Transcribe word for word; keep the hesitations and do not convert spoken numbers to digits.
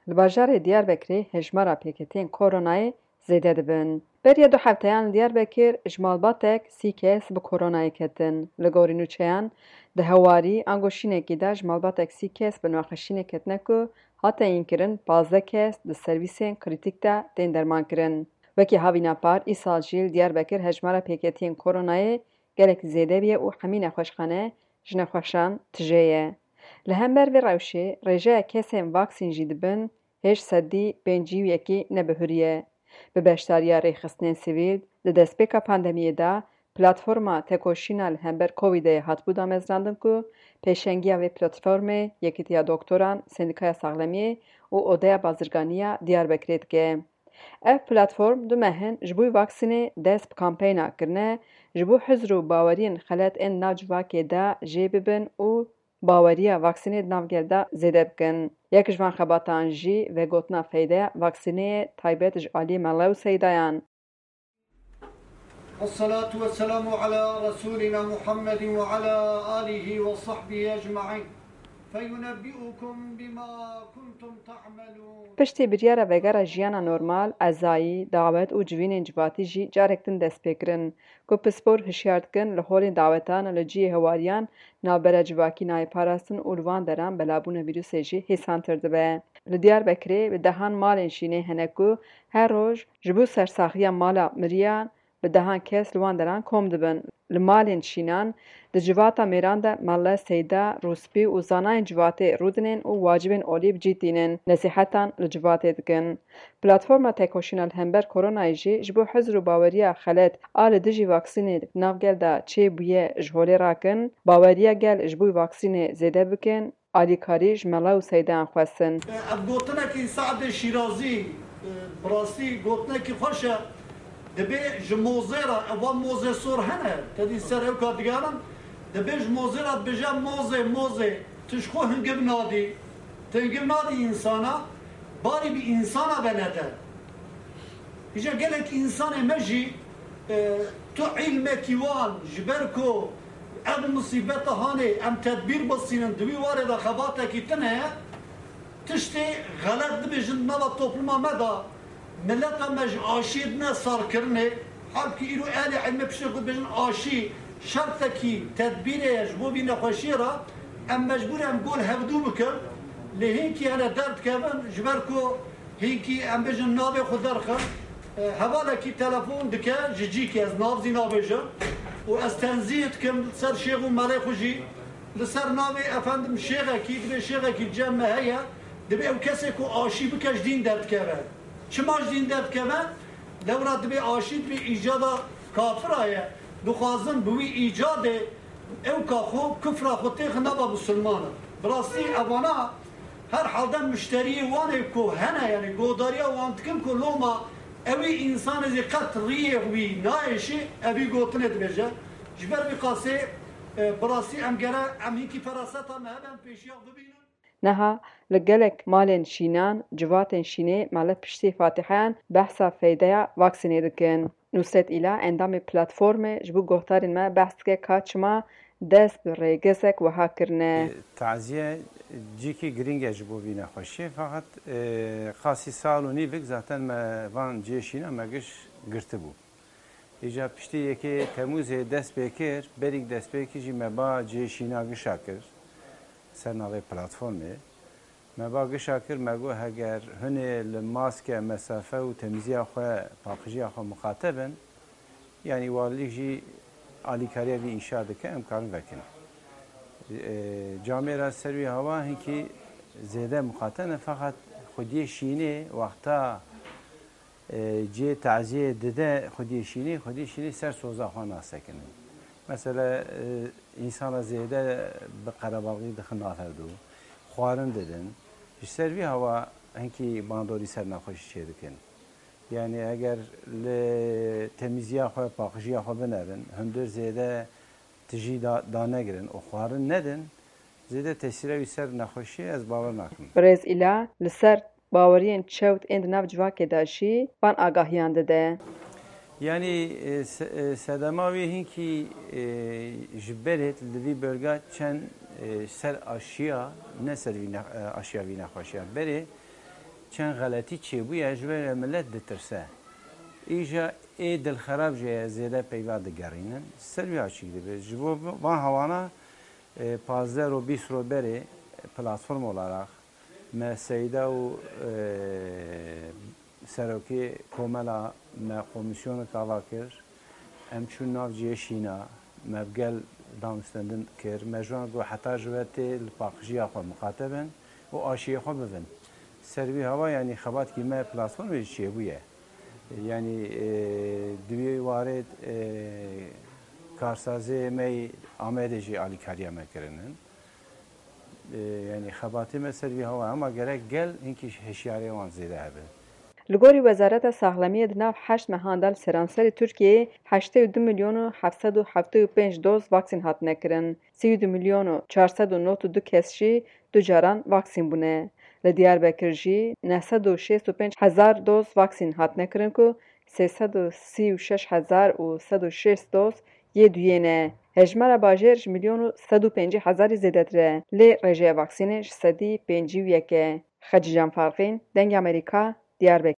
Li bajarê Diyarbekirê hejmara pêketiyên koronayê zêde dibin. Beriya du hefteyan li Diyarbekir ji malbatek sî kes bi koronayê ketin. Li gorî nûçeyan, di hewarî ango şînekî de ji malbatek sî kes bi nexweşînê ketine ku hate înkirin, pazdeh kes di servîsên krîtîk de tên dermankirin. Wekî havîna par, îsal jî li Diyarbekir hejmara pêketiyên koronayê gelek zêde bûye û hemî nexweşxane ji nexweşan tije ye. Li hember vê rewşê, rêjeya kesên vaksîn jî dibin hêj sedî pêncî û yekî nebihuriye. Bi beşdariya rêxistinên sivîl, di destpêka pandemiyê de platforma tekoşîna li hember Covidê hatibû damezrandin ku pêşengiya vê platformê Yekîtiya Doktoran, Sendîkaya Saxlemiyê û Odeya Bazirganiya Diyarbekirê dike. Ev platform du meh in ji bo vaksînê dest bi kampeyna kirine, ji bo hizr û baweriyên xelet ên nav civakê de jê bibin û baweriya vaksînê di nav gel de zêde bikin. Yek ji van xebatan jî vegotina feydeya vaksînê ye, taybet ji aliyê Mele û Seydayan. الصلاة والسلام على رسولنا محمد وعلى آله وصحبه أجمعين. فينبئكم بما كنتم تعملون. Piştî biryara vegera jiyana normal, ezayî, dawet û civînên civatî jî carek din dest pê kirin, ku pispor hişyar dikin li holên dawetan li cihê hewariyan navbera civakî nayê parastin û li van deran belabûna vîrusê jî hêsantir dibe. Li Diyarbekirê bi dehan malên şînê hene ku her roj ji bo sersaxiya mala miriyan bi dehan kes li wan deran kom dibin. Li malên şînan, di civata mêran de mele, seyda, rûspî û zanayên civatê rûdinên û wacibên olî bi cî tînin, nesîhetan li civatê dikin. Platforma Tekoşîna li hember Koronayê jî ji bo hizr û baweriya xelet a li dijî vaksînê di nav gel de çêbûye ji holê rakin, baweriya gel ji bo vaksînê zêde bikin, alîkarî ji mela û seydeyan xwestin. Ev gotinekî Se'dê Şîrazî, e, bi rastî gotinekî xweş e. Dibê ji mozê re, ev van mozê sor hene, te dî ser ew ka digerin, dibê ji mozê re dibêje mozê, mozê, tu ji xwe hingiv nadî, tu hingiv nadî însana, barî bi însana ve nede. Îja gelek însanê me jî, e, tu îlmekî wan, ji ber ku ev misîbeta hanê em tedbîr bistînin, di wî warê de xebatekî tune ye, tiştê xelet dibêjin di nava topluma me de, mileta me ji aşiyê dine sarkirinê, halbikî îro ehlê îlmê piştê xwe dibêjin aşî şertekî tedbîrê ye ji bo vî nexweşiyê re, em mecbûr in em gol hevdû bikin, lê hînkî hene derdikevin, ji ber ku hînkî em bêjin navê xwe derxin, e, hevalekî telefon dike ji cîkê, ez nav zî nabêjim û ez tenzîh dikim li ser şêx û melê xwe jî, li ser navê efendim şêxekî, dibê şêxekî cem me heye, dibê ew kesê ku aşî bike ji dîn derdikeve. Çima ji dîn derdikeve? Lewra dibê aşî dibê îcada kafira ye. Dixwazin bi wî îcadê ew ka xwe kufra xwe têxin nava misilmanan. Bi rastî evana her halde mişteriyê wan ê ku hene, yanî godariya wan dikin ku loma ewî însanê zî qet riyê wî nayêşî, evî gotinê dibêje. Ji ber vî qasê, e, bi rastî em gere em hînkî feraseta me hebe em pêşiya bibînin. Niha li gelek malên şînan, civatên şînê mele piştî fatiheyan behsa feydeya vaksînê dikin. Nusret Îla, endamê platformê, ji bo guhdarên me behs dike ka çima dest bi rêgezek wiha kirine. Taziye cîkî girîng e ji bo vî nexweşiyê, feqet, e, qasî sal û nîvik zaten me van cihê şîna me giş girtibû. Îca piştî yekê Temûzê dest pê kir, berî dest pê kir jî me ba cihê şîna gişa kir ser navê platformê. Me ba gişa kir, me got heger hûn ê li maske, mesafe û temîziya xwe, paqijiya xwe miqate bin, yanî walîlîk jî alîkariya vî îşa dike, em karin vekin. E, camêra ser wî hawa hinkî zêde miqate ne, feqet xwediyê şînê wexta e, cihê taziyê dide xwediyê şînê, xwediyê şînê ser soza xwe nasekinin. Mesela, e, însana zêde bi qerebalxî dixin nav hevdû, xwarin didin. Ji ser vî hawa hinkî bandorî ser nexweşî çêdikin. Yanî eger li temîziya xwe, paqijiya xwe binerin, hundir zêde tijî da, danegirin û xwarin nedin, zêde tesîra wî ser nexweşiyê ez bawer nakim. Birêz Îla li ser baweriyên çewt ên di nav civakê de jî van agahiyan dide. Yanî, e, se-, e, sedema wê hinkî, e, ji berê li vî bölga çend, e, ser aşiya, ne ser vî ne-, e, aşiya vî nexweşiya. Berê Çend xeletî çêbûye, ji vê re millet ditirse. Îja ê dilxerab jê ye, zêde peyva digerînin. Ser wî açîk dibe. Ji bo van hewana, e, pazdeh ro bîst ro berê platform olarak me Seyda û, e, serokê komela me komisyonek ava kir. Em çûn nav cihê şîna, me bi gel danûstendin kir. Me ji wan got heta ji we tê li paqijiya xwe miqate bin û aşiyê xwe bibin. Ser vî hava, yanî xebatkî me platformê jî çêbûye. Yanî, e, di wî warê, e, karsazê me yî Amedê jî alîkariya me kirinin. E, yanî xebatê me ser vî hava, ama gerek gel hinkî hişyarê wan zêde hebe. Li gorî Wezareta Saxlemiyê di nav heşt mehan de li seranserê Tirkiyeyê heştê û du milyon û heft sed û heftê û pênc doz vaksîn hatine kirin. Sî û du milyon û çar sed û nod û du kes jî du caran vaksîn bûne. Li Diyarbekir jî neh sed û şêst û pênc hezar doz vaksîn hatine kirin ku sê sed û sî û şeş hezar û sed û şêst doz yê duyê ne. Hejmara bajêr ji milyon û sed û pêncî hezarî zêdetir e. Lê rêjeya vaksînê ji sedî pêncî û yek e. Xecîcan Farqîn, Dengê Amerîka, Diyarbekir.